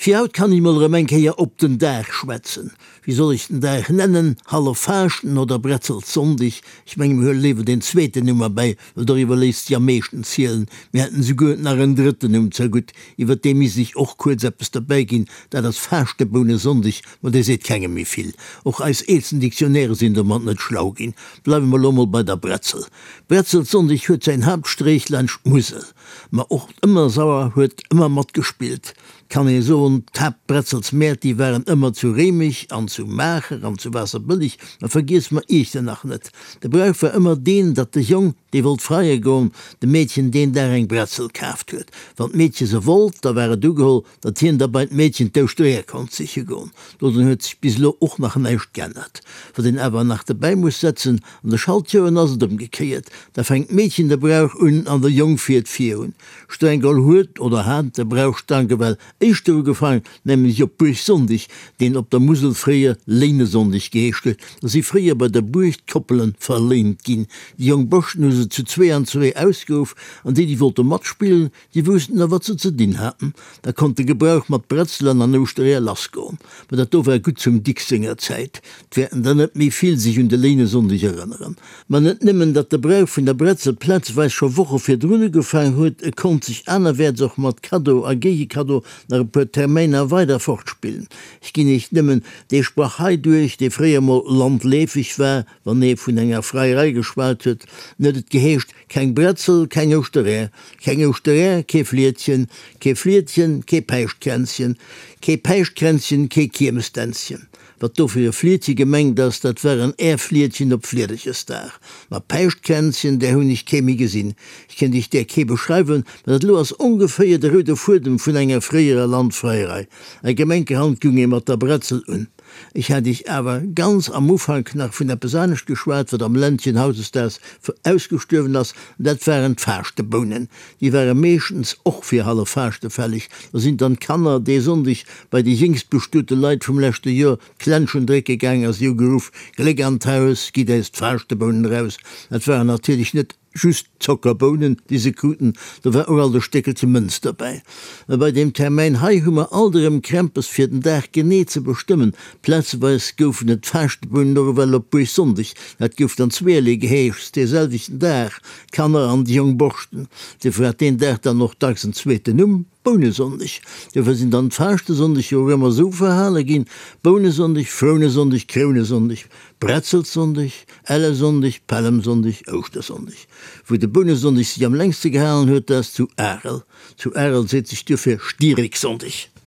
Fir haut kann ech mol erëm eng Kéier op den Dag schwätzen. Wéi soll ech den Dag nennen? Halleffaaschten oder Bretzelssonndeg? Ech menge mir huele léiwer deen zweeten Numm erbäi, well doriwwer léisst sech am meeschten zielen. Mir hätten esouguer nach en drëtten Numm zergutt, iwwer dee misst ech och kuerz eppes derbäi ginn, dat ass Faaschtebounesonndeg, ma dee seet kengem méi vill. Och eis eelsten Dictionnairë sinn domat net schlau ginn. Bleiwe mer elo mol bei der Bretzel. Bretzelssonndeg huet säin Haaptstreech laanscht d'Musel. Ma och d'Ëmmersauer huet ëmmer matgespillt, kann ee soen. D'Haaptbretzelsmäert, déi waren ëmmer zu Réimech an zu Maacher an zu Waasserbëlleg, ma vergiesse mer Iechternach net. De Brauch war ëmmer deen, datt de Jong, dee wollt freie goen, dem Meedchen deen Dag eng Bretzel kaaft huet. Wann d'Meedche se wollt, da war et ugeholl, datt hien da bei d'Meedchen d'Ouschtereeër konnt siche goen. Dodrun huet sech bis elo och nach näischt g'ännert. Wat een awer nach derbäi muss setzen, An de Schaltjoren ass et ëmgekéiert, da fänkt d'Meedchen de Brauch un an de Jong fiert virun. Streng geholl huet oder hat de Brauch stank ewell éischter ugefaang, nämlech op Buergsonndeg, deen op der Musel fréier Léinesonndeg geheescht huet. Da si fréier bei der Buerg d'Koppele verléint ginn. Déi jonk Borschten hu se zu zwee an zwee ausgeruff an déi, déi wollte matspillen, Déi woussten da wat se ze dinn haten. Da konnt de Gebrauch mat Bretzelen an Ouschtereeër lassgoen. Ma dat do war gutt zum Dicks senger Zäit. 't wäerten der net méi vill sech un de Léinesonndeg erënneren. Ma net nëmmen datt de Brauch vun der Bretzel plazweis scho Woche virdrun ugefaang huet, e konnt sech anerwäerts och mat Kaddo a Géigekaddo nach e puer Termäiner weider fortspillen. Ech ginn iech nëmmen dee Sprach hei duerch, dee fréier mol landleefeg war, wann ee vun enger Freierei geschwat huet, en huet et geheescht, Keng Bretzel, keng Ouschteräer, keng Ouschteräer, kee Fliedchen, kee Fliedchen, kee Päischtkränzchen, kee Päischtkränzchen, kee Kiermesdänzchen. Wat do fir e Fliedche gemengt ass, dat war en Äerfliedchen op Fliederchesdag. Ma Päischtkränzchen, där hunn ech kee méi gesinn. Ech kéint iech där kee beschreiwen, ma dat elo ass ongeféier de roude Fuedem vun enger fréierer Landfreierei. A gemenkerhand gung ee mat der Bretzel un. Ech hat Iech awer ganz am Ufank nach vun eppes anescht geschwat, wat am Ländchen hautdesdaags ausgestuerwen ass, an dat waren d'Faaschtebounen. Déi ware meeschtens och fir Halleffaaschte fälleg. Da sinn dann d'Kanner dee Sonndeg bei déi jéngst bestuete Leit vum leschte Joer d'Klenschen drécke gaang a si hu geruff, Gléck an d'Haus, gitt äis d'Faaschtebounen eraus! Dat waren natierlech net Just Zockerbounen, déi se kruten, do war och alt e Stéckelche Mënz derbäi. Mä bei deem Termäin hei hu mer alt erëm Krämpes fir den Dag genee ze bestëmmen. Plazeweis goufen et d'Faaschtebounen och ewell op Buergsonndeg, dat gouf dann zweerlee geheescht, dee selwechten Dag, d'Kanner an déi jonk Borschten. Duerfir hat deen Dag dann och dacks en zweeten Numm, Bounesonndeg. Duerfir sinn dann d'Faaschtesonndeg jo och ëmmer esou verhale ginn, Bounesonndeg, Frounesonndeg, Krounesonndeg, Bretzelsonndeg, Ellesonndeg, Pällemsonndeg, Ouschtersonndeg. Wou de Bounesonndeg sech am längste gehalen huet, dat ass zu Arel. Zu Arel seet sech duerfir Stiereksonndeg.